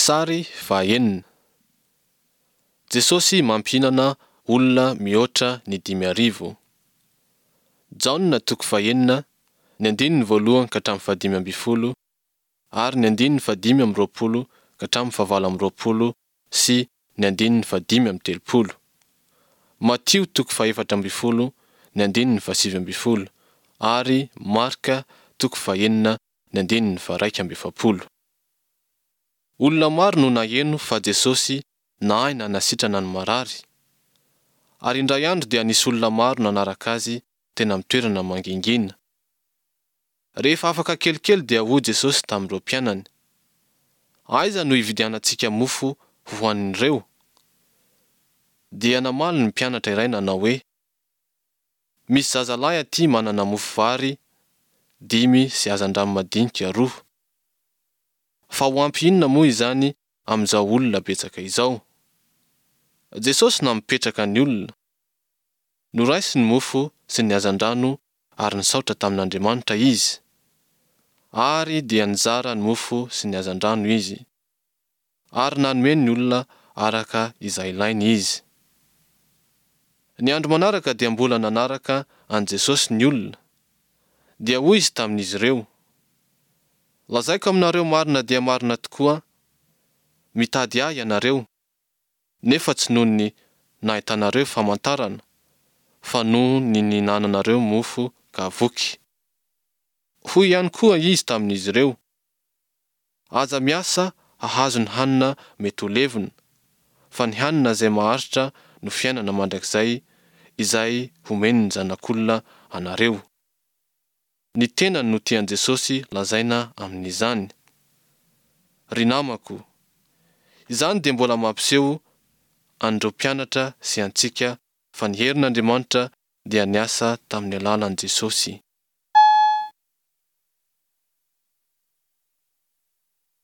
Sary fahaenina. Jesosy mampihinana olona mihoatra ny 5000. Jaona toko fahenina, ny andininy voalohany ka hatramin'ny fahadimy ambin'ny folo ary ny andininy fahadimy amby roapolo ka hatramin'ny fahavalo amby roapolo sy ny andininy fahadimy amby telopolo. Matio toko fahefatra ambin'ny folo, ny andininy fahasivy ambin'ny folo ary Marka toko fahenina, ny andininy faharaika amby efapolo. Olona maro no naheno fa Jesosy nahay nanasitrana ny marary. Ary indray andro dia nisy olona maro nanaraka Azy teny amin'ny toerana mangingina. Rehefa afaka kelikely dia hoy Jesosy tamin'ireo mpianany, Aiza no hividianantsika mofo hohanin'ireo? Dia namaly ny mpianatra iray nanao hoe, Misy zazalahy aty manana mofo vary dimy sy hazandrano madinika roa. Fa ho ampy inona moa izany amin'izao olona betsaka izao? Jesosy nampipetraka ny olona. Noraisiny ny mofo sy ny hazandrano ary nisaotra tamin'Andriamanitra izy. Ary dia nizara ny mofo sy ny hazandrano izy. Ary nanome ny olona araka izay ilainy izy. Ny andro manaraka dia mbola nanaraka an'i Jesosy ny olona. Dia hoy izy tamin'izy ireo, Lazaiko aminareo marina dia marina tokoa, mitady ahy ianareo, nefa tsy noho ny nahitanareo famantarana, fa noho ny nihinananareo mofo ka voky. Hoy ihany koa izy tamin'izy ireo, Aza miasa hahazo ny hanina mety ho levona, fa ny hanina izay maharitra no fiainana mandrakizay izay homen'ny Zanak'olona anareo. Ny tenany no tian'i Jesosy lazaina amin'izany. Ry namako, izany dia mbola mampiseho an'ireo mpianatra sy antsika fa ny herin'Andriamanitra dia niasa tamin'ny alalan'i Jesosy.